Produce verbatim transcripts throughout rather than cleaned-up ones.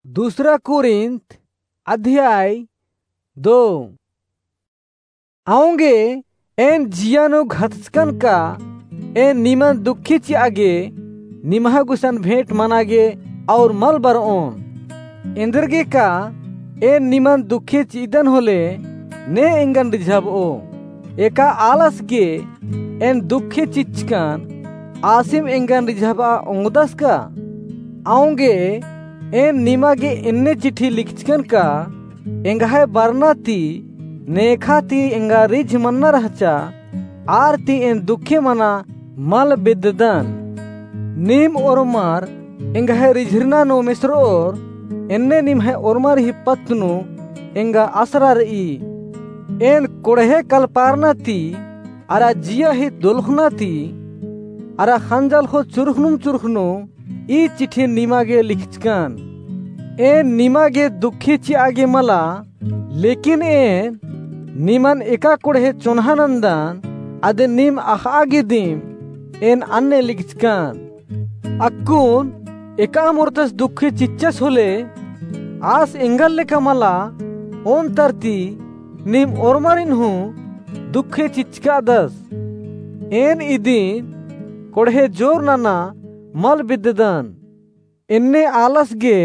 दूसरा कुरिन्थ अध्याय दो। औंगे एन जिया नू घतचकन का एन निमन दुखे चिआ गे निम्है गुसन भेंट मना गे और मल बरओन। एन्देरगे का एन निमन दुखे चिअदन होले ने एंगन रिझाबओ। एका आलस गे एन दुखे चिच्चकन आसिम एंगन रिझाबआ ओंगदस का? औंगे एन निमा गे एन्ने चिट्ठी लिखचकन का एंग्है बरना ती नेखा ती एंगा रिझ मन्ना रहचा, आर ती एन दुखे मना मल बेद्ददन। नीम ओर्मर एंग्है रिझरना नू मेसरओर, एन्ने निम्है ओर्मर ही पत्त नू एंगा असरा रई। एन कोड़हे कलपारना ती अरा जिया ही दोलखना ती अरा खंजल हो चुरखनुम चुरखनु ई चिट्ठी निमा गे लिखचकन। एन निमा गे दुखे चिआ गे मला, लेकिन एन निमन एका कोड़हे चोन्हा नन्दन, अदिन नीम अख़आ गे दिम एन अन्ने लिखचकन। अक्कुन एका मोर्तस दुखे चिच्चस होले, आस एंगल लेखा मला, ओन तरती नीम ओर्मरिन हूँ दुखे चिच्चकादस। एन इदिन कोड़हे जोर नना मल बेद्ददन। एन्ने आलस गे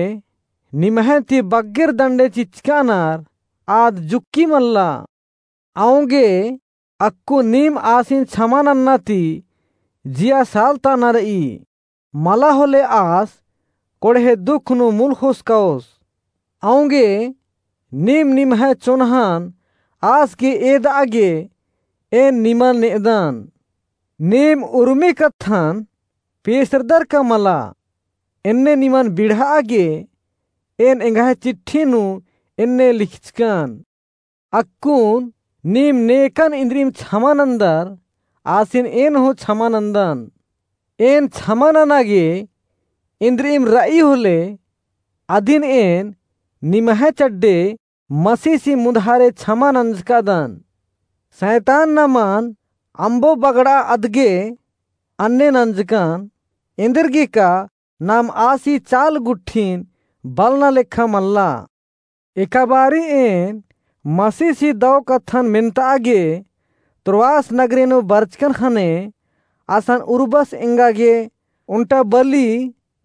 निम्है ती बग्गेर दंडे चिच्चकानर आद जुक्की मल्ला। औंगे अक्कु नीम आसिन छमा नन्ना ती जिया सालताना रई। मला होले आस कोड़हे दुख नू मुल खुसकाओस। औंगे नीम निम्है चोन्हन आस गे एदआ गे एन निमन नेदन। नीम उर्मी कत्थन पेसरदर का मला, एन्ने निमन बिड़हआ गे एन एंग्है चिट्ठी नू एन्ने लिखचकन। अक्कुन नीम नेकन इन्द्रिम छमा नन्दर, आसिन एन हूँ छमा नन्दन। एन छमा नना गे इन्द्रिम रई होले, अदिन एन निम्है चड्डे मसीसी मुधारे छमा नंजकादन। सैतान नमन अम्बो बगड़ा अदगे अन्ने नंजकन, एन्देरगे का नाम आसी चाल गुट्ठिन बलना लेखा मल्ला। एकाबारी एन मसीसी दौ कत्थन मेन्तआ गे त्रोआस नगरे नू बरचकन ख़ने असन उर्बस एंगा गे ओन्टा बली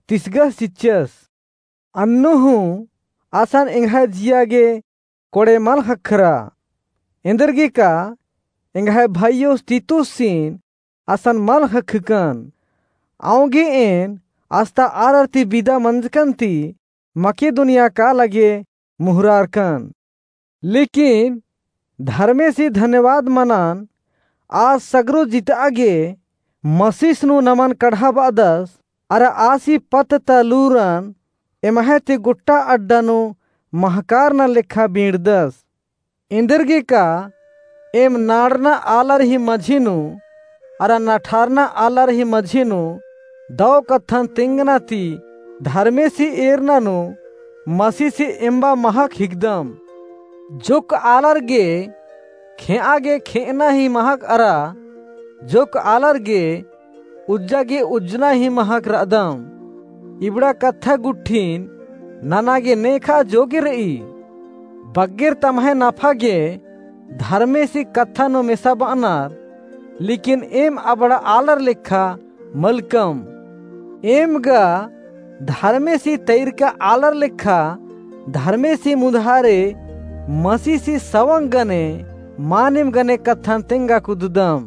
तिसगस चिच्चस। अन्नु हूँ असन एंग्है जिया गे कोड़े मल ख़क्खरा। एन्देरगे का एंग्है भइयोस तीतुसिन असन मल ख़क्खकन। औंगे एन अस्ता आलर ती बिदा मंजकन ती मकिदुनिया काला गे मुहरारकन। लेकिन धर्मेसी धन्यवाद मनन, आस सगरो जितआ गे मसीस नू नमन कड़हाबअदस, अरा आसी पत्त ता लूरन एम्है ती गुट्टा अड्डा नू महकारना लेखा बींड़दस। एन्देरगे का एम नाड़ना आलर ही मझी नू अरा नठारना आलर ही मझी नू दौ कत्थन तेंगना ती धर्मेसी एरना नू मसीसी एम्बा महक हिकदम। जोक्क आलर गे खेंआ गे खेंअना ही महक अरा जोक्क आलर गे उज्जा गे उज्जना ही महक रअदम। इबड़ा कत्था गुट्ठिन नना गे नेखा जोगे रई। बग्गेर तम्है नफा गे धर्मेसी कत्था नू मेसाबअनर, लेकिन एम अबड़ा आलर लेखा मलकम। एम गा धर्मेसी तैरका आलर लेखा धर्मेसी मुधारे मसीसी सवंग गने मानिम गने कत्थन तेंगा कुददम।